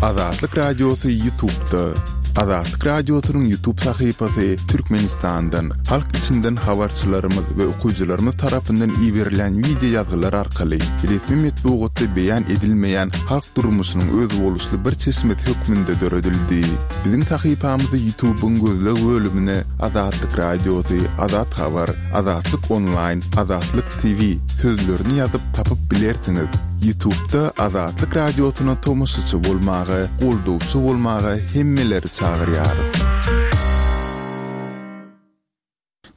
Azatlyk Radiosy Ýutubda. Azatlyk Radiosynyň Ýutub sahypasy Türkmenistandan, halk içinden habarçylarymyz we okyjylarymyz tarapyndan iberilen wideo ýazgylar arkaly resmi metbugatda beýan edilmeýän halk durmuşynyň özboluşly bir çeşmesi hökmünde döredildi. Biziň sahypamyzy Ýutubyň gözleg bölümine Azatlyk Radiosy, Azat Habar, Azatlyk Onlaýn, Azatlyk TV sözlerini ýazyp tapyp bilersiňiz. Ýutubda Azatlyk Radiosyna tomaşaçy bolmaga, goldawçy bolmaga hemmeleri çagyrýarys.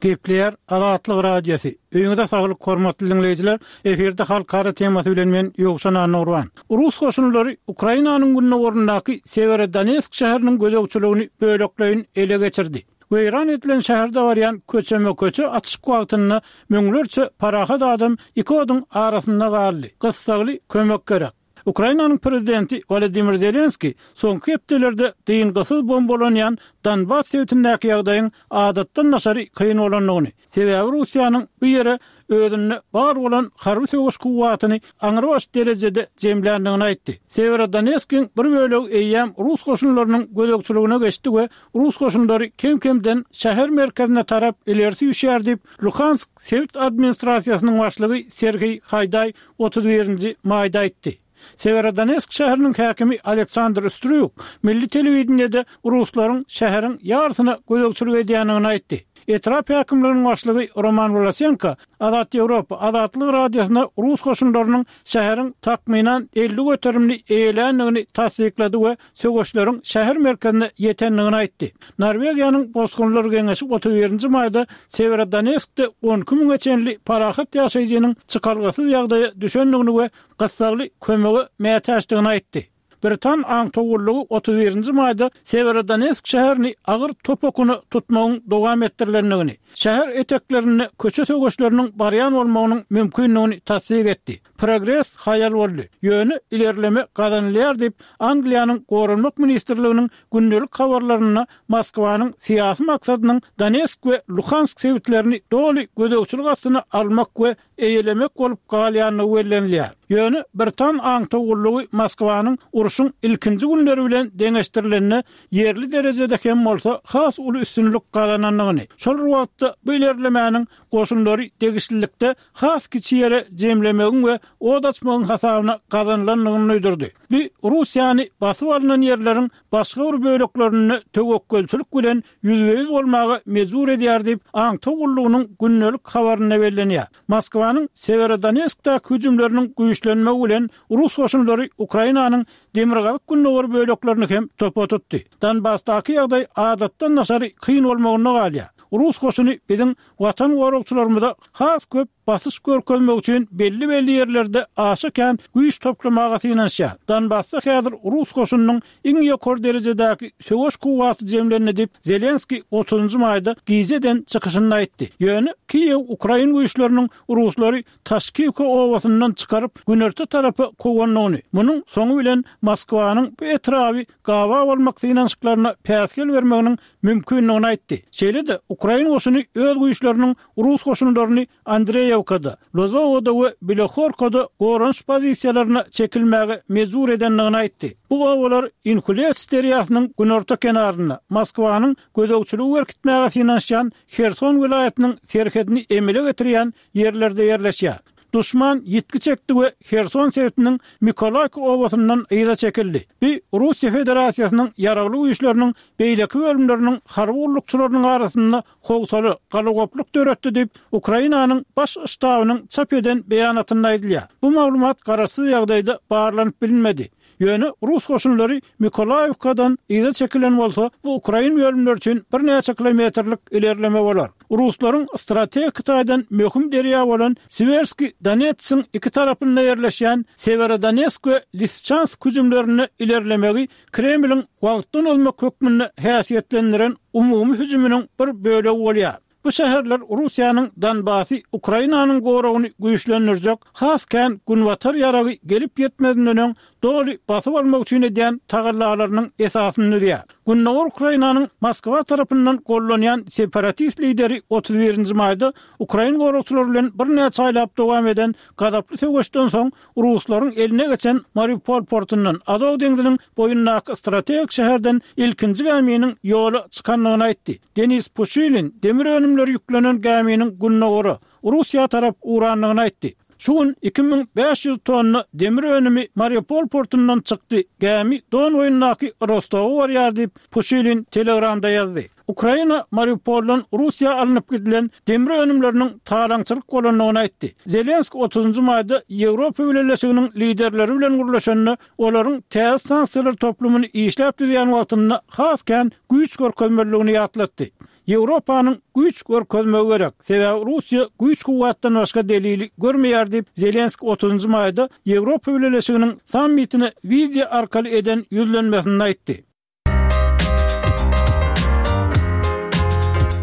Gepleýär Azatlyk Radiosy. Öýüňize saglyk hormatly diňleýjiler. Efirde halkara temasy bilen men Ýowşan Annagurban. Rus goşunlary Ukrainanyň gündogaryndaky Sewerodonetsk şäheriniň gözegçiligini bölekleýin ele geçirdi. Weýran edilen şäherde barýan köçeme-köçe atyşyk wagtynda müňlerçe parahat adam iki oduň arasynda galdy. Gyssagly kömek gerek. Ukrainanyň prezidenti Wolodymyr Zelenskiý soňky hepdelerde dyngysyz bombalanýan Donbas sebitindäki ýagdaýyň adatdan daşary kyn bolandygyny, sebäbi Russiýanyň bu ýere özünde bar bolan harby söweş kuwwatyny aňrybaş derejede jemländigini aýtdy. Sewerodonetskiň bir bölegi eýýäm rus goşunlarynyň gözegçiligine geçdi we rus goşunlary kem-kemden şäher merkezine tarap ileri süýşýär diýip, Luhansk sebit administrasiýasynyň başlygy Serhiý Haýdaý 31 nji maýda aýtdy. Sewerodonetsk şäheriniň häkimi Aleksandr Strýuk milli telewideniýede ruslaryň şäheriň ýarysyna gözegçilik edýändigini aýtdy. Etrap häkimliginiň başlygy Roman Wlasenko Azat Ýewropa Azatlyk Radiosyna rus goşunlarynyň şäheriň takmynan 50 göterimini eýeländigini tassyklady we söweşleriň şäher merkezine ýetendigini aýtdy. Norwegiýanyň Bosgunlar geňeşi 31 nji maýda Sewerodonetskde 12 müňe çenli parahat ýaşaýjynyň çykalgasyz ýagdaýa düşendigini we gyssagly kömege mätäçdigini aýtdy. Britan aňtaw gullugy 31 nji maýda Sewerodonetsk şäherini agyr top okuna tutmagyň dowam etdirilendigini, şäher eteklerinde köçe söweşleriniň barýan bolmagynyň mümkindigini tassyk etdi. Progres haýal boldy, ýöne ilerleme gazanylýar diýip, Angliýanyň Goranmak ministrliginiň gündelik habarlarynda Moskwanyň syýasy maksadynyň Donetsk we Luhansk sebitlerini doly gözegçilik astyna almak we eýelemek bolup galýandygy bellenilýär. Ýöne britan aňtaw gullugy Moskwanyň urşuň ilkinji günleri bilen deňeşdirilende ýerli derejede hem bolsa has uly üstünlik gazanandygyny, şol bir wagtda bu ilerlemäniň goşunlary degişlilikde has kiçi ýere jemlemegiň we ot açmagyň hasabyna gazanylandygyny duýdurdy. Bu Russiýany basyp alnan ýerleriň başga bir böleklerinde töwekgelçilik bilen ýüzbe-ýüz bolmaga mejbur edýär diýip, aňtaw gullugynyň gündelik habarynda bellenýär. Moskwanyň Sewerodonetskdäki hüjümleriniň güýçlenmegi bilen rus goşunlary Ukrainanyň demirgazyk-gündogar böleklerini hem topa tutdy. Donbasdaky ýagdaý adatdan daşary kyn bolmagynda galýar. Rus goşuny biziň Watan goragçylarymyza has köp basyş görkezmek üçin belli-belli ýerlerde aşa kän güýç toplamaga synanyşýar. Donbasda häzir rus goşunynyň iň ýokary derejedäki söweş kuwwaty jemlendi diýip, Zelenskiý otuzynjy maýda gije eden çykyşynda aýtdy. Ýöne Kiýew ukrain güýçleriniň ruslary Taşkiwka obasyndan çykaryp, günorta tarapa kowandygyny, munuň soňy bilen Moskwanyň bu etraby gabaw almak synanyşyklaryna päsgel bermeginiň mümkindigini aýtdy. Şeýle-de, ukrain goşuny öz güýçleriniň rus goşunlaryny Andreýewkada, Lozowada we Bilohorkada goranyş pozisiýalaryna çekilmäge mejbur edendigini aýtdy. Bu obalar Inhulets derýasynyň günorta kenarynda, Moskwanyň gözegçiligi berkitmäge synanyşýan Herson welaýatynyň serhedini emele getirýän ýerlerde ýerleşýär. Duşman ýitgi çekdi we Herson sebitiniň Mikolaýka obasyndan yza çekildi. Bu Russiýa Federasiýasynyň Ýaragly Güýçleriniň beýleki bölümleriniň harby gullukçylarynyň arasynda howsala, galagoplyk döretdi diýip, Ukrainanyň Baş ştabynyň çap eden beýanatynda aýdylýar. Bu maglumat garaşsyz ýagdaýda barlanyp bilinmedi. Ýöne rus goşunlary Mikolaýewkadan yza çekilen bolsa, bu ukrain bölümleri üçin birnäçe kilometrlik ilerleme bolar. Ruslaryň strategik taýdan möhüm derýa bolan Siwerskiý Donetsiň iki tarapynda ýerleşýän Sewerodonetsk we Lisiçansk hüjümlerinde ilerlemegi Kremliň wagtdan ozmak hökmünde häsiýetlendiren umumy hüjüminiň bir bölegi bolýar. Bu şäherler Russiýanyň Donbasy Ukrainanyň goragyny güýçlendirjek has kän günbatar ýaragy gelip ýetmezinden öň. doly basyp almak üçin edýän tagallalarynyň esasyny düzýär. Gündogar Ukrainanyň Moskwa tarapyndan gollanýan separatist lideri 31 nji maýda ukrain goragçylary bilen birnäçe aýlap dowam eden gazaply söweşden soň ruslaryň eline geçen Mariupol portundan, Azow deňziniň boýundaky strategik şäherden ilkinji gäminiň ýola çykandygyny aýtdy. Denis Puşilin demir önümleri ýüklenen gäminiň gündogara, Russiýa tarap ugrandygyny aýtdy. Şu gün 2500 tonna demir önümi Mariupol portundan çykdy, gämi Don boýundaky Rostowa barýar diýip, Puşilin Telegramda ýazdy. Ukraina Mariupoldan Russiýa alnyp gidilen demir önümleriniň talaňçylyk bolandygyny aýtdy. Zelenski otuzynjy maýda Ýewropa Bileleşiginiň liderleri bilen gürleşende, olaryň täze sanksiýalar toplumyny işläp düzýän wagtynda has kän güýç görkezmelidigini ýatlatdy. Ýewropanyň güýç görkezmegi gerek, sebäbi Russiýa güýç-kuwwatdan başga delili görmeýär diýip, Zelenski otuzynjy maýda Ýewropa Bileleşiginiň sammitine wideo arkaly eden ýüzlenmesinde aýtdy.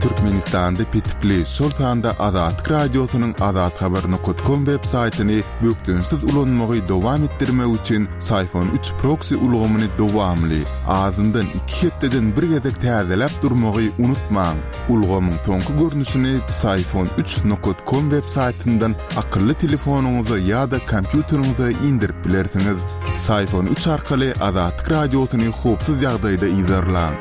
Türkmenistanda petikli, şol sanda Azatlyk Radiosynyň azathabar nokat kom web saýtyny bökdençsiz ulanmagy dowam etdirmek üçin Syfon üç proksi ulgamyny dowamly, azyndan iki hepdeden bir gezek täzeläp durmagy unutmaň. Ulgamyň soňky görnüşini Psiphon üç nokat kom web saýtyndan akylly telefonyňyza ýa-da kompýuteriňize indirip bilersiňiz. Psiphon üç arkaly Azatlyk Radiosyny howpsuz ýagdaýda yzarlaň.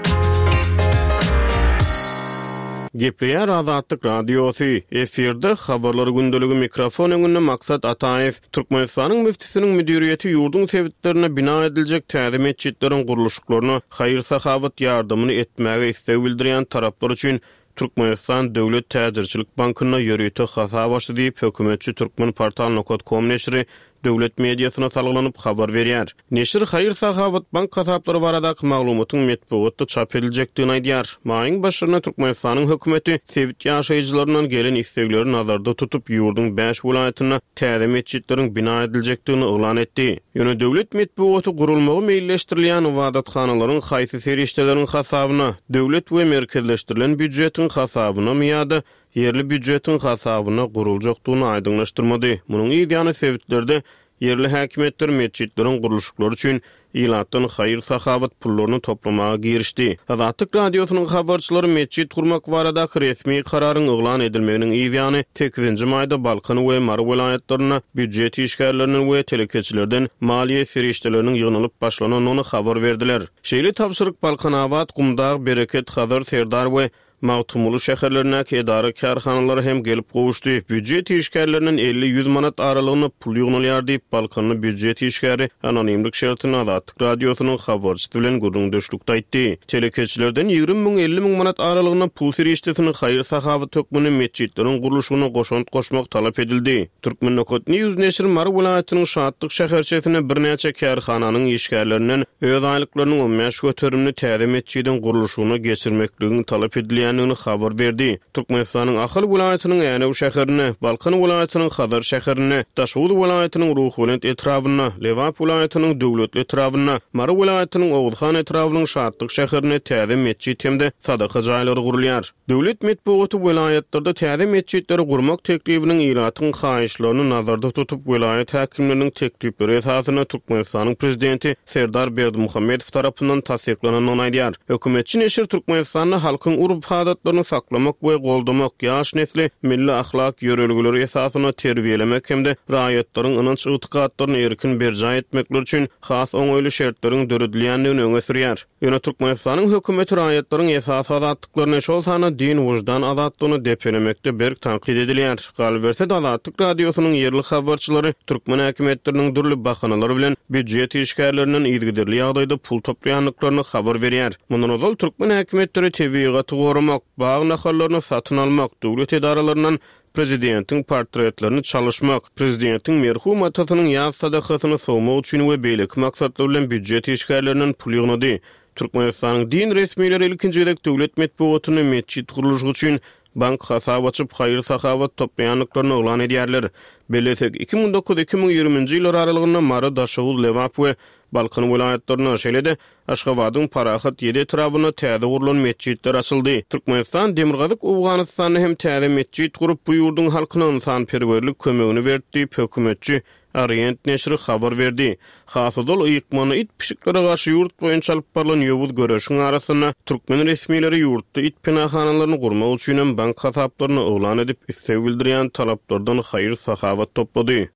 Gepleýär Azatlyk Radiosy, efirde Habarlar gündeligi mikrofon öňünde Maksat Ataýew. Türkmenistanyň müftüsiniň müdiriýeti ýurduň sebitlerinde bina ediljek täze metjitleriň gurluşyklaryna haýyr-sahawat ýardamyny etmäge isleg bildirýän taraplar üçin Türkmenistan döwlet täjirçilik bankynda ýörite hasap açdy diýip, hökümetçi Turkmenportal nokat kom neşiri döwlet mediasyna salgylanyp habar berýär. Neşir haýyr-sahawat bank hasaplary baradaky maglumatyň metbugatda çap ediljekdigini aýdýar. Maýyň başlarynda Türkmenistanyň hökümeti sebit ýaşaýjylaryndan gelen islegleri nazarda tutup, ýurduň bäş welaýatynda täze metjitleriň bina ediljekdigini yglan etdi. Ýöne döwlet metbugaty gurulmagy meýilleşdirilýän ybadathanalaryň haýsy serişdeleriň hasabyna, döwlet we merkezleşdirilen býujetiň hasabynamy ýa-da ýerli býujetiň hasabyna guruljakdygyny aýdyňlaşdyrmady. Munuň yz ýany sebitlerde ýerli häkimiýetler metjitleriň gurluşyklary üçin ilatdan haýyr-sahawat pullaryny toplamaga girişdi. Azatlyk Radiosynyň habarçylary metjit gurmak baradaky resmi kararyň yglan edilmeginiň yz ýany sekizinji maýda Balkan we Mary welaýatlarynda býujet işgärlerinden we telekeçilerden maliýe serişdeleriniň ýygnalyp başlanandygyny habar berdiler. Şeýle tabşyryk Balkanabat, Gumdag, Bereket, Hazar, Serdar we Magtymguly şäherlerindäki edara-kärhanalara hem gelip gowuşdy. Býujet işgärlerinden elli-ýüz manat aralygynda pul ýygnalýar diýip, balkanly býujet işgäri anonimlik şertinde Azatlyk Radiosynyň habarçysy bilen gürrüňdeşlikde aýtdy. Telekeçilerden 20 müň, 50 müň manat aralygynda pul serişdesini haýyr-sahawat hökmünde metjitleriň gurluşygyna goşant goşmak talap edildi. Turkmennokat-news neşiri Mary welaýatynyň Şatlyk şäherçesinde birnäçe kärhananyň işgärlerinden öz aýlyklarynyň on bäş göterimini täze metjidiň gurluşygyna geçirmekligiň talap edilýändigini habar berdi. Türkmenistanyň Ahal welaýatynyň Änew şäherinde, Balkan welaýatynyň Hazar şäherinde, Daşoguz welaýatynyň Ruhubelent etrabynda, Lebap welaýatynyň Döwletli etrabynda, Mary welaýatynyň Oguzhan etrabynyň Şatlyk şäherinde täze metjit hem-de sadaka jaýlary gurulýar. Döwlet metbugaty welaýatlarda täze metjitleri gurmak teklibiniň ilatyň haýyşlaryny nazarda tutup, welaýat häkimleriniň teklipleri esasynda Türkmenistanyň prezidenti Serdar Berdimuhamedow tarapyndan tassyklanandygyny aýdýar. Hökümetçi neşir Türkmenistanda halkyň urp-adatlaryny saklamak we goldamak, ýaş nesli milli ahlak ýörelgeleri esasynda terbiýelemek hem-de raýatlaryň ynanç-ygtykatlaryny erkin berjaý etmekleri üçin has oňaýly şertleriň döredilýändigini öňe sürýär. Ýöne Türkmenistanyň hökümeti raýatlaryň esasy azatlyklaryny, şol sanda din-wyždan azatlygyny depelemekde berk tankyt edilýär. Galyberse-de, Azatlyk Radiosynyň ýerli habarçylary türkmen häkimiýetleriniň dürli bahanalar bilen býujet işgärlerinden yzygiderli ýagdaýda pul toplaýandyklaryny habar berýär. Mundan ozal türkmen häkimiýetleri tebigaty goramak, bag nahallaryny satyn almak, döwlet edaralaryndan prezidentiň portretlerini çalyşmak, prezidentiň merhum atasynyň ýas sadakasyny sowmak üçin we beýleki maksatlar bilen býujet işgärlerinden pul ýygnady. Türkmenistanyň din resmileri ilkinji gezek döwlet metbugatynda metjit gurluşygy üçin bank hasap açyp, haýyr-sahawat toplaýandyklaryny yglan edýärler. Bellesek, 2009, 2020-nji ýyllar aralygynda Mary, Daşoguz, Lebap we Balkan welaýatlarynda, şeýle-de Aşgabadyň Parahat ýedi etrabynda täze gurlan metjitler açyldy. Türkmenistan Demirgazyk Owganystanda hem täze metjit gurup, bu ýurduň halkyna ynsanperwerlik kömegini berdi diýip, hökümetçi. Orient neşiri habar berdi. Has ozal, ykmanda it-pişiklere garşy ýurt boýunça alyp barlan ýowuz göreşiň arasynda, türkmen resmileri ýurtda it penahanalaryny gurmak üçinem bank hasaplaryny yglan edip, isleg bildirýän talaplardan haýyr-sahawat toplady.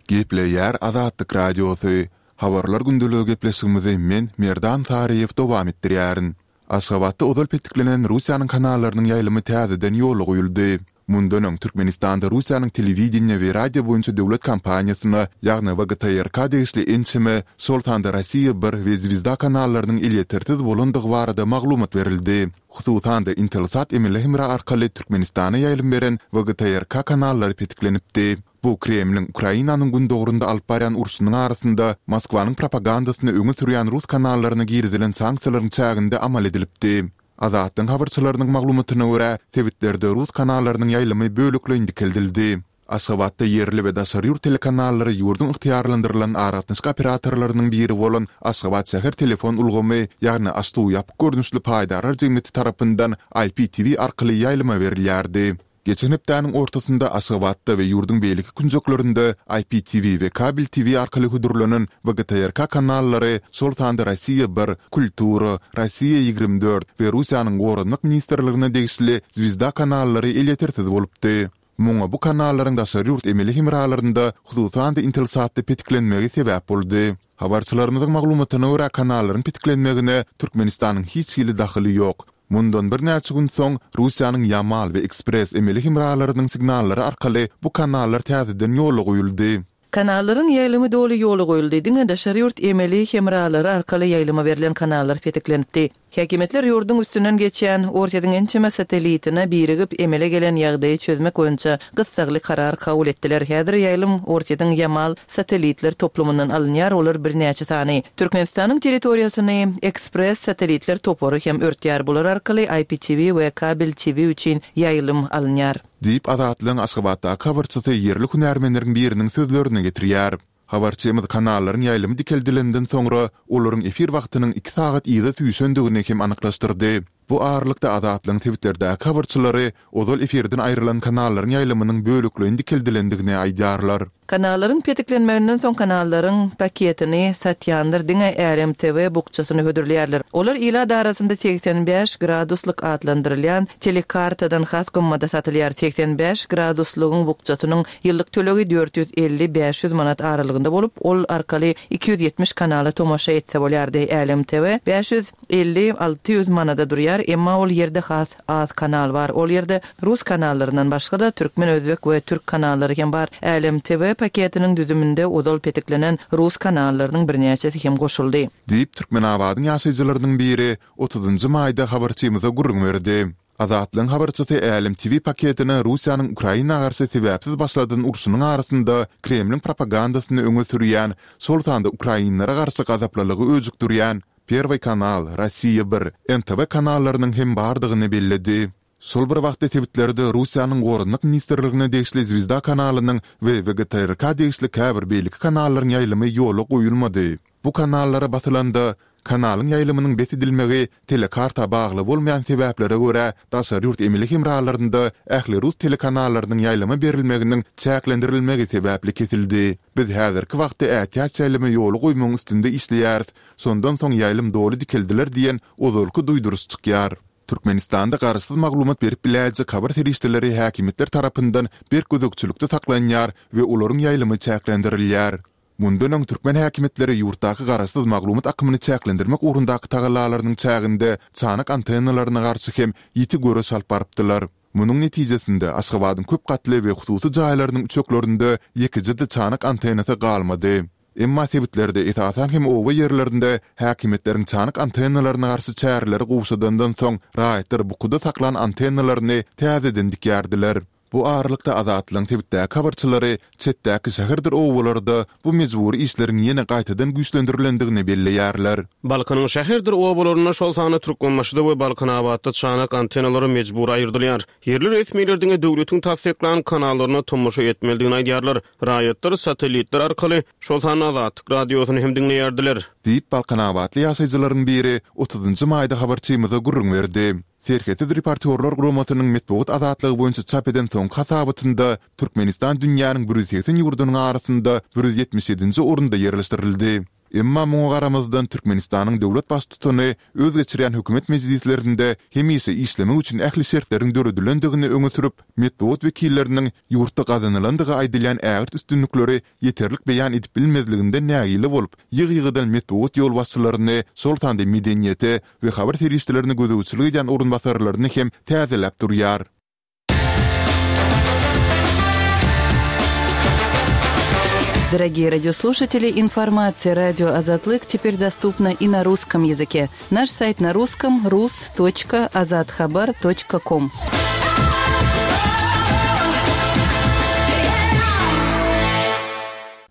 Gepleýär Azatlyk Radiosy, Habarlar gündeligi gepleşigimizi men, Merdan Saryýew dowam etdirýärin. Aşgabatda ozal petiklenen Russiýanyň kanallarynyň ýaýlymy täzeden ýola goýuldy. Mundan öň, Türkmenistanda Russiýanyň telewideniýe we radio boýunça döwlet kompaniýasyna, ýagny WGTRK degişli ençeme, şol sanda Rossiýa bir we Zwezda kanallarynyň elýetersiz bolandygy barada maglumat berildi. Hususan-da, Intelsat emeli hemra arkaly Türkmenistana ýaýlym beren WGTRK kanallary petiklenipdi. Bu Kremliň Ukrainanyň gündogarynda alyp barýan urşunyň arasynda Moskwanyň propagandasyny öňe sürýän rus kanallaryna girizilen sanksiýalaryň çäginde amal edilipdi. Azatlygyň habarçylarynyň maglumatyna görä, sebitlerde rus kanallarynyň ýaýlymy bölekleýin dikeldildi. Aşgabatda ýerli we daşary ýurt telekanallary ýurduň ygtyýarlandyrylan aragatnaşyk operatorlarynyň biri bolan Aşgabat şäher telefon ulgamy, ýagny AŞTU ýapyk görnüşli paýdarlar jemgyýeti tarapyndan IPTV arkaly ýaýlyma berilýärdi. Geçen hepdäniň ortasynda Aşgabatda we ýurduň beýleki künjeklerinde IPTV we kabel TV arkaly hödürlenen WGTRK kanallary, şol sanda Rossiýa bir, Kultura, Rossiýa 24 we Russiýanyň Goranmak ministrligine degişli Zwezda kanallary elýetersiz bolupdy. Muňa bu kanallaryň daşary ýurt emeli hemralarynda, hususan-da Intelsatda petiklenmegi sebäp boldy. Habarçylarymyzyň maglumatyna görä, kanallaryň petiklenmegine Türkmenistanyň hiç hili dahyly ýok. Mundan birnäçe gün soň, Russiýanyň Ýamal we Ekspress emeli hemralarynyň signallary arkaly bu kanallar täzeden ýola goýuldy. Kanallaryň ýaýlymy doly ýola goýuldy, diňe daşary ýurt emeli hemralary arkaly ýaýlyma berlen kanallar petiklenipdi. Häkimiýetler ýurduň üstünden geçýän Orsýetiň ençeme satellitine birigip emele gelen ýagdaýy çözmek boýunça gyssagly karar kabul etdiler. Häzir ýaýlym Orsýetiň Ýamal satellitler toplumyndan alynýar, olar birnäçe sany. Türkmenistanyň territoriýasyny Ekspress satellitler topary hem örtýär, bular arkaly IPTV we kabel TV üçin ýaýlym alynýar. Diýip, Azatlygyň Aşgabatdaky habarçysy ýerli hünärmenleriň biriniň sözlerini getirýär. Habarçymyz kanallaryň ýaýlymy dikeldilenden soňra, olaryň efir wagtynyň iki sagat yza süýşendigini hem anyklaşdyrdy. Bu aralykda Azatlygyň sebitlerdäki habarçylary ozal efirden aýrylan kanallaryň ýaýlymynyň bölekleýin dikeldilendigini aýdýarlar. Kanallaryň petiklenmeginden soň kanallaryň paketini satýanlar diňe Älem TV bukjasyny hödürleýärler. Olar ilat arasynda 85 graduslyk atlandyrylýan telekartadan has gymmada satylýar. 85 graduslygyň bukjasynyň ýyllyk tölegi 450, 500 manat aralygynda bolup, ol arkaly 270 kanala tomaşa etse bolýardy. Älem TV 500 50, 600 manada durýar, emma ol ýerde has az kanal bar. Ol ýerde rus kanallaryndan başga-da türkmen, özbek we türk kanallary hem bar. Älem TV paketiniň düzüminde ozal petiklenen rus kanallarynyň birnäçesi hem goşuldy. Diýip, Türkmenabadyň ýaşaýjylarynyň biri otuzynjy maýda habarçymyza gürrüň berdi. Azatlygyň habarçysy Älem TV paketine Russiýanyň Ukraina garşy sebäpsiz başladan urşunyň arasynda Kremliň propagandasyny öňe sürýän, şol sanda ukrainlere garşy gazaplylygy öjükdirýän Perwyý kanal, Rossiýa bir, NTV kanallarynyň hem bardygyny belledi. Şol bir wagtda sebitlerde Russiýanyň Goranmak ministrligine degişli Zwezda kanalynyň we WGTRK degişli käbir beýleki kanallaryň ýaýlymy ýola goýulmady. Bu kanallara basylanda, kanalyň ýaýlymynyň bes edilmegi telekarta bagly bolmaýan sebäplere görä daşary ýurt emeli hemralarynda ähli rus telekanallarynyň ýaýlyma berilmeginiň çäklendirilmegi sebäpli kesildi. Biz häzirki wagtda ätiýaç ýaýlymy ýola goýmagyň üstünde işleýäris, şondan soň ýaýlym doly dikeldiler diýen ozalky duýduryş çykýar. Türkmenistanda garaşsyz maglumat berip biläýjek habar serişdeleri häkimiýetler tarapyndan berk gözegçilikde saklanýar we olaryň ýaýlymy çäklendirilýär. Mundan öň türkmen häkimiýetleri ýurtdaky garaşsyz maglumat akymyny çäklendirmek ugrundaky tagallalarynyň çäginde çanak antennalaryna garşy hem ýiti göreş alyp barypdylar. Munuň netijesinde, Aşgabadyň köp gatly we hususy jaýlarynyň üçeklerinde ýekeje-de çanak antennasy galmady. Emma sebitlerde, esasan hem oba ýerlerinde häkimiýetleriň çanak antennalaryna garşy çäreleri gowşadandan soň, raýatlar bukuda saklan antennalaryny täzeden dikýärdiler. Bu aralykda Azatlygyň sebitdäki habarçylary çetdäki şäherdir obalarda bu mejbury işleriň ýene gaýtadan güýçlendirilendigini belleýärler. Balkanyň şäherdir obalarynda, şol sanda Türkmenbaşyda we Balkanabatda çanak antennalary mejbury aýyrdylýar. Ýerli resmiler diňe döwletiň tassyklan kanallaryna tomaşa etmelidigini aýdýarlar. Raýatlar satellitler arkaly, şol sanda Azatlyk Radiosyny hem diňleýärdiler. Diýip, balkanabatly ýaşaýjylaryň biri otuzynjy maýda habarçymyza gürrüň berdi. Serhetsiz reportýorlar guramasynyň metbugat azatlygy boýunça çap eden soňky hasabatynda Türkmenistan dünýäniň 180 ýurdunyň arasynda 177-nji orunda ýerleşdirildi. Emma muňa garamazdan Türkmenistanyň döwlet baştutany öz geçirýän hökümet mejlislerinde hemişe işlemek üçin ähli şertleriň döredilendigini öňe sürüp, metbugat wekilleriniň ýurtda gazanylandygy aýdylýan ägirt üstünlikleri ýeterlik beýan edip bilmezliginden nägile bolup, ýygy-ýygydan metbugat ýolbaşçylaryny, şol sanda medeniýete we habar serişdelerine gözegçilik edýän orunbasarlaryny hem täzeläp durýar. Дорогие радиослушатели, информация радио Азатлык теперь доступна и на русском языке. Наш сайт на русском rus.azathabar.com.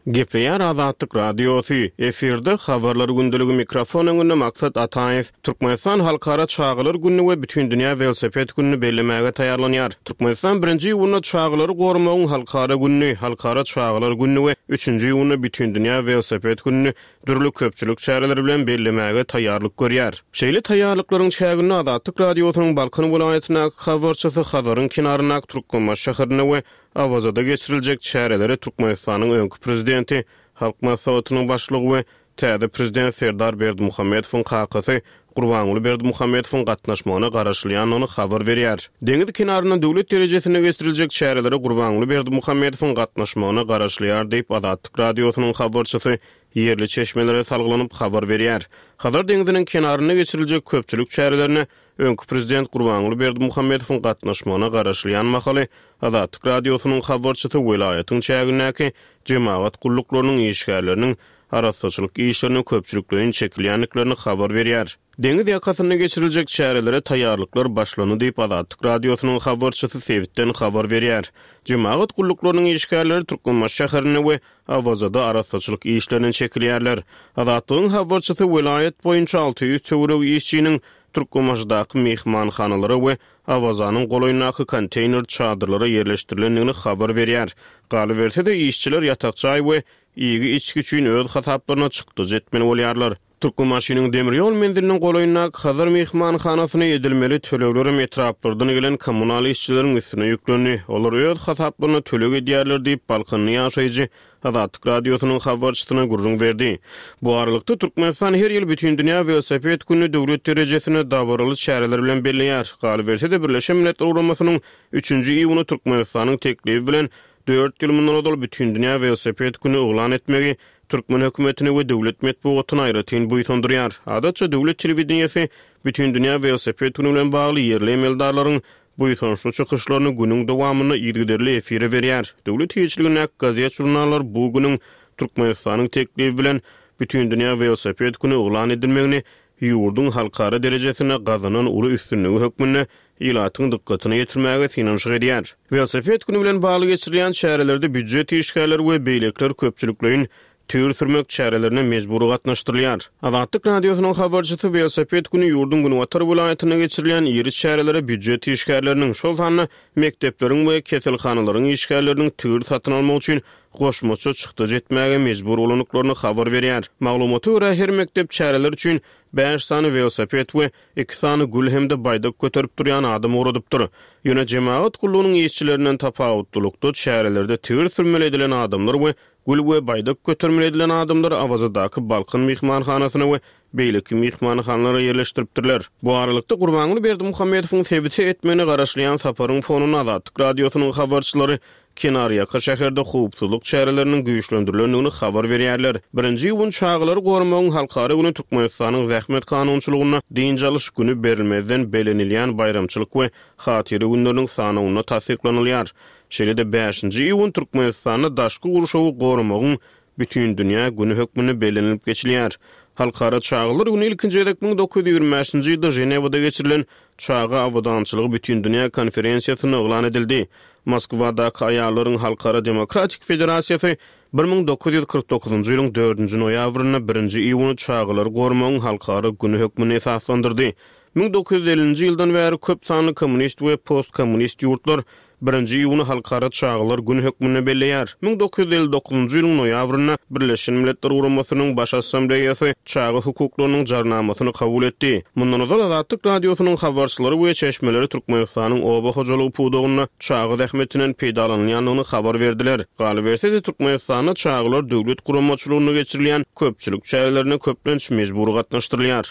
Gepleýär Azatlyk Radiosy, efirde Habarlar gündeligi mikrofon öňünde Maksat Ataýew. Türkmenistan Halkara çagalar gününi we Bütindünýä welosiped gününi bellemäge taýýarlanýar. Türkmenistan birinji iýunda Çagalary goramagyň halkara gününi, Halkara çagalar gününi we üçünji iýunda Bütindünýä welosiped gününi dürli köpçülik çäreleri bilen bellemäge taýýarlyk görýär. Şeýle taýýarlyklaryň çäginde Azatlyk Radiosynyň Balkan welaýatyndaky habarçysy Hazaryň kenaryndaky Türkmenbaşy şäherinde we Awazada geçiriljek çärelere Türkmenistanyň öňki prezidenti, Halk Maslahatynyň başlygy we täze prezident Serdar Berdimuhamedowyň kakasy Gurbanguly Berdimuhamedowyň gatnaşmagyna garaşylýandygyny habar berýär. Deňiz kenarynda döwlet derejesinde geçiriljek çärelere Gurbanguly Berdimuhamedowyň gatnaşmagyna garaşylýar diýip, Azatlyk Radiosynyň habarçysy ýerli çeşmelere salgylanyp habar berýär. Hazar deňziniň kenarynda geçiriljek köpçülik çärelerine Öňki prezident Gurbanguly Berdimuhamedowyň gatnaşmagyna garaşylýan mahaly, Azatlyk Radiosynyň habarçysy welaýatyň çägindäki jemagat gulluklarynyň işgärleriniň arassaçylyk işlerine köpçülikleýin çekilýändiklerini habar berýär. Deňiz ýakasynda geçiriljek çärelere taýýarlyklar başlandy diýip, Azatlyk Radiosynyň habarçysy sebitden habar berýär. Jemagat gulluklarynyň işgärleri Türkmenbaşy şäherinde we Awazada arassaçylyk işlerine çekilýärler. Azatlygyň habarçysy welaýat boýunça 600 töweregi işçiniň Türkmenbaşydaky myhmanhanalara we Awazanyň golaýyndaky konteýner çadyrlara ýerleşdirilendigini habar berýär. Galyberse-de, işçiler ýatak jaý we iýgi-içgi üçin öz hasaplaryna çykdajy etmeli bolýarlar. Türkmenbaşynyň demir ýol menziliniň golaýyndaky Hazar myhmanhanasyna edilmeli töleglerem etraplardan gelen kommunal işçileriň üstüne ýüklendi. Olar öz hasaplaryna töleg edýärler diýip, balkanly ýaşaýjy Azatlyk Radiosynyň habarçysyna gürrüň berdi. Bu aralykda, Türkmenistan her ýyl Bütindünýä welosiped gününi döwlet derejesinde dabaraly çäreler bilen belleýär. Galyberse-de, Birleşen Milletler Guramasynyň üçünji iýuny Türkmenistanyň teklibi bilen dört ýyl mundan ozal Bütindünýä welosiped güni yglan etmegi türkmen hökümetini we döwlet metbugatyny aýratyn buýsandyrýar. Adatça, döwlet telewideniýesi Bütindünýä welosiped güni bilen bagly ýerli emeldarlaryň buýsançly çykyşlaryny günüň dowamynda yzygiderli efire berýär. Döwlet eýeçiligindäki gazet-žurnallar bu günüň Türkmenistanyň teklibi bilen Bütindünýä welosiped güni yglan edilmegini ýurduň halkara derejesinde gazanan uly üstünligi hökmünde ilatyň dykgatyna ýetirmäge synanyşyk edýär. Welosiped güni bilen bagly geçirilýän çärelerde býujet işgärleri we beýlekiler köpçülikleýin Tigir sürmek çärelerine mejbury gatnaşdyrylýar. Azatlyk Radiosynyň habarçysy welosiped güni ýurduň günbatar welaýatynda geçirilýän iri çärelere býujet işgärleriniň, şol sanda mekdepleriň we keselhanalaryň işgärleriniň tigir satyn almak üçin goşmaça çykdajy etmäge mejbur bolandyklaryny habar berýär. Maglumata görä, her mekdep çäreler üçin bäş sany welosiped we iki sany gül hem-de baýdak göterip durýan adam ugradypdyr. Ýöne jemagat gullugynyň işçilerinden tapawutlylykda, çärelerde tigir sürmeli edilen adamlar we Gül we baýdak götermeli edilen adamlary Awazadaky Balkan myhmanhanasyna we beýleki myhmanhanalara ýerleşdiripdirler. Bu aralykda, Gurbanguly Berdimuhamedowyň sebite etmegine garaşylýan saparyň fonunda Azatlyk Radiosynyň habarçylary kenarýaka şäherde howpsuzlyk çäreleriniň güýçlendirilendigini habar berýärler. Birinji iýun Çagalary goramagyň halkara güni Türkmenistanyň zähmet kanunçylygynda dynç alyş güni berilmezden bellenilýän baýramçylyk we hatyra günleriniň sanawynda tassyklanylýar. Şeýle-de bäşinji iýun Türkmenistanda daşky gurşawy goramagyň Bütindünýä güni hökmünde bellenilip geçilýär. Halkara çagalar güni ilkinji gezek 1925-nji ýylda Ženewada geçirilen Çaga abadançylygy Bütindünýä konferensiýasynda yglan edildi. Moskwadaky Aýallaryň halkara demokratik federasiýasy 1949-njy ýylyň dördünji noýabrynda birinji iýuny Çagalary goramagyň halkara güni hökmünde esaslandyrdy. 1950-nji ýyldan bäri köp sanly kommunist we postkommunist ýurtlar. Birinji iýuny Halkara çagalar güni hökmünde belleýär. 1959-njy ýylyň noýabrynda Birleşen Milletler Guramasynyň Baş Assambleýasy Çaga hukuklarynyň Jarnamasyny kabul etdi. Mundan ozal Azatlyk Radiosynyň habarçylary we çeşmeleri Türkmenistanyň oba hojalygy pudagynda çaga zähmetinden peýdalanylýandygyny habar berdiler. Galyberse-de, Türkmenistanda çagalar döwlet guramaçylygynda geçirilýän köpçülik çärelerine köplenç mejbury gatnaşdyrylýar.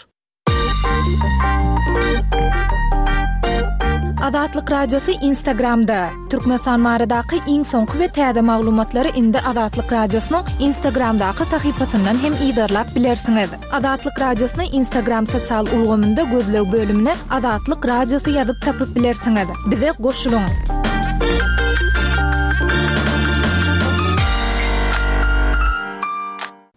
Azatlyk Radiosy Instagramda, Türkmenistan baradaky iň soňky we täze maglumatlary indi Azatlyk Radiosynyň Instagramdaky sahypasyndan hem yzarlap bilersiňiz. Azatlyk Radiosyny Instagram sosial ulgamynda gözleg bölümine Azatlyk Radiosy ýazyp tapyp bilersiňiz. Bize goşulyň!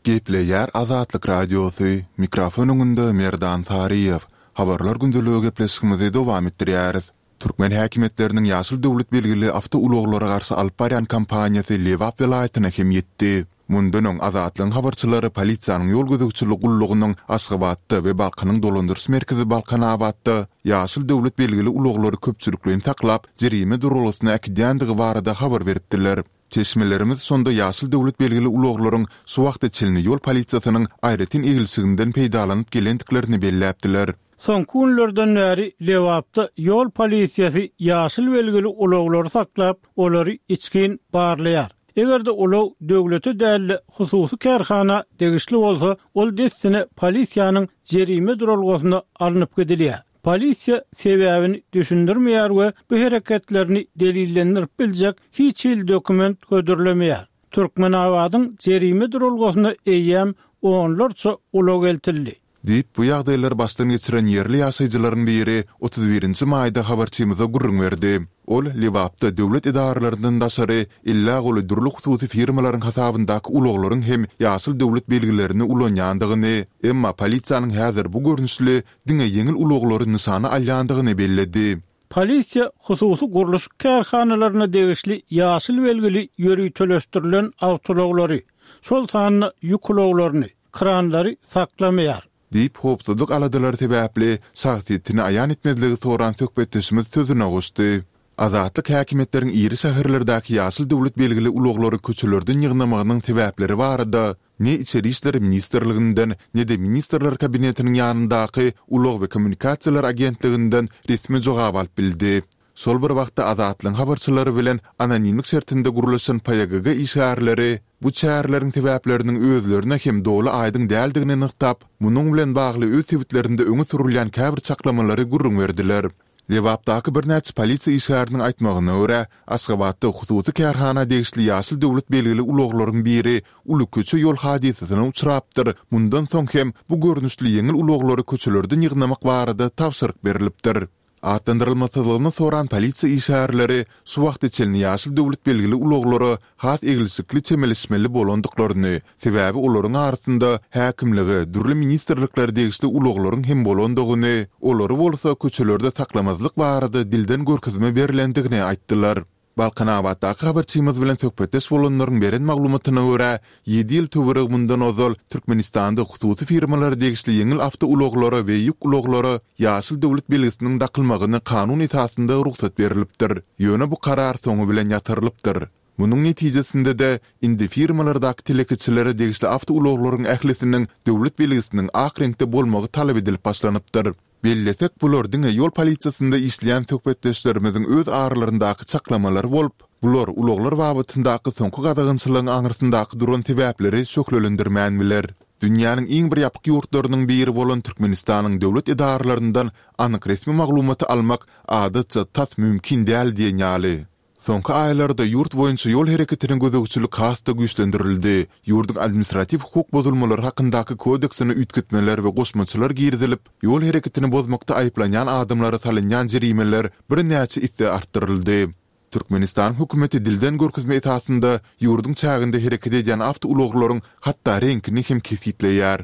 Gepleýär Azatlyk Radiosy, mikrofon öňünde Merdan Saryýew. Habarlar gündeligi gepleşigimizi dowam etdirýäris. Türkmen häkimiýetleriniň ýaşyl döwlet belgili awtoulaglara garşy alyp barýan kampaniýasy Lebap welaýatyna hem ýetdi. Mundan öň Azatlygyň habarçylary polisiýanyň ýol gözegçiligi gullugynyň Aşgabatda we Balkanyň dolandyryş merkezi Balkanabatda ýaşyl döwlet belgili ulaglary köpçülikleýin saklap, jerime duralgasyna äkidýändigi barada habar beripdiler. Çeşmelerimiz şonda ýaşyl döwlet belgili ulaglaryň şu wagta çenli ýol polisiýasynyň aýratyn eglişiginden peýdalanyp gelendiklerini belläpdiler. Soňky günlerden bäri Lebapda ýol polisiýasy ýaşyl belgili ulaglary saklap, olary içgin barlaýar. Eger-de ulag döwlete däl-de, hususy kärhana degişli bolsa, ol dessine polisiýanyň jerime duralgasyna alnyp gidilýär. Polisiýa sebäbini düşündirmeýär we bu hereketlerini delillendirip biljek hiç hili dokument hödürlemeýär. Türkmenabadyň jerime duralgasyna eýýäm onlarça ulag eltildi. Diýip, bu ýagdaýlary başdan geçiren ýerli ýaşaýjylaryň biri 31-nji maýda habarçymyza gürrüň berdi. Ol Lebapda döwlet edaralaryndan daşary ellä goly dürli hususy firmalaryň hasabyndaky ulaglaryň hem ýaşyl döwlet belgilerini ulanýandygyny, emma polisiýanyň häzir bu görnüşli diňe ýeňil ulaglary nyşana alýandygyny belledi. Polisiýa hususy gurluşyk kärhanalaryna degişli ýaşyl belgili ýöriteleşdirilen awtoulaglary, şol sanda ýük ulaglaryny, kranlary saklamaýar. Diýip, howpsuzlyk aladalary sebäpli şahsyýetini aýan etmezligi soran söhbetdeşimiz sözüne goşdy. Azatlyk häkimiýetleriň iri şäherlerdäki ýaşyl döwlet belgili ulaglary köçelerden ýygnamagynyň sebäpleri barada ne Içeri işler ministrliginden, ne-de Ministrler Kabinetiniň ýanyndaky Ulag we kommunikasiýalar agentliginden resmi jogap alyp bildi. Şol bir wagtda Azatlygyň habarçylary bilen anonimlik şertinde gürleşen PYGG işgärleri bu çäreleriň sebäpleriniň özlerine hem doly aýdyň däldigini nygtap, munuň bilen bagly öz sebitlerinde öňe sürülýän käbir çaklamalary gürrüň berdiler. Lebapdaky birnäçe polisiýa işgäriniň aýtmagyna görä, Aşgabatda hususy kärhana degişli ýaşyl döwlet belgili ulaglaryň biri uly köçe-ýol hadysasyna uçrapdyr, mundan soň hem bu görnüşli ýeňil ulaglary köçelerden ýygnamak barada tabşyryk berlipdir. Atlandyrylmasyzlygyny soran polisiýa işgärleri şu wagta çenli ýaşyl döwlet belgili ulaglara has eglişikli çemeleşmeli bolandyklaryny, sebäbi olaryň arasynda häkimlige, dürli ministrliklere degişli ulaglaryň hem bolandygyny, olary bolsa köçelerde saklamazlyk barada dilden görkezme berlendigini aýtdylar. Balkanabatdaky habarçymyz bilen söhbetdeş bolanlaryň beren maglumatyna görä, ýedi ýyl töweregi mundan ozal Türkmenistanda hususy firmalara degişli ýeňil awtoulaglara we ýük ulaglara ýaşyl döwlet belgisiniň dakylmagyna kanun esasynda rugsat berlipdir. Ýöne bu karar soňy bilen ýatyrylypdyr. Munuň netijesinde-de, indi firmalardaky telekeçilere degişli awtoulaglaryň ählisiniň döwlet belgisiniň ak reňkde bolmagy talap edilip başlanypdyr. Bellesek, bular diňe ýol polisiýasynda işleýän söhbetdeşlerimiziň öz aralaryndaky çaklamalary bolup, bular ulaglar babatyndaky soňky gadagançylygyň aňyrsyndaky duran sebäpleri şöhlelendirmän biler. Dünýäniň iň bir ýapyk ýurtlarynyň biri bolan Türkmenistanyň döwlet edaralaryndan anyk resmi maglumaty almak adatça tas mümkin däl diýen ýaly. Soňky aýlarda ýurt boýunça ýol hereketine gözegçilik has-da güýçlendirildi. Ýurduň Administratiw hukuk bozulmalary hakyndaky kodeksine üýtgetmeler we goşmaçalar girizilip, ýol hereketini bozmakda aýyplanýan adamlara salynýan jerimeler birnäçe esse artdyryldy. Türkmenistanyň hökümeti dilden görkezme esasynda ýurduň çäginde hereket edýän awtoulaglaryň hatda reňkini hem kesgitleýär.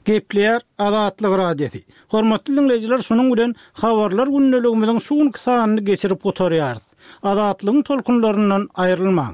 Gepleýär Azatlyk Radiosy. Hormatly diňleýjiler şunuň bilen Habarlar gündeligimiziň şu günki sanyny geçirip gutarýarys. Azatlygyň tolkunlaryndan aýrylmaň.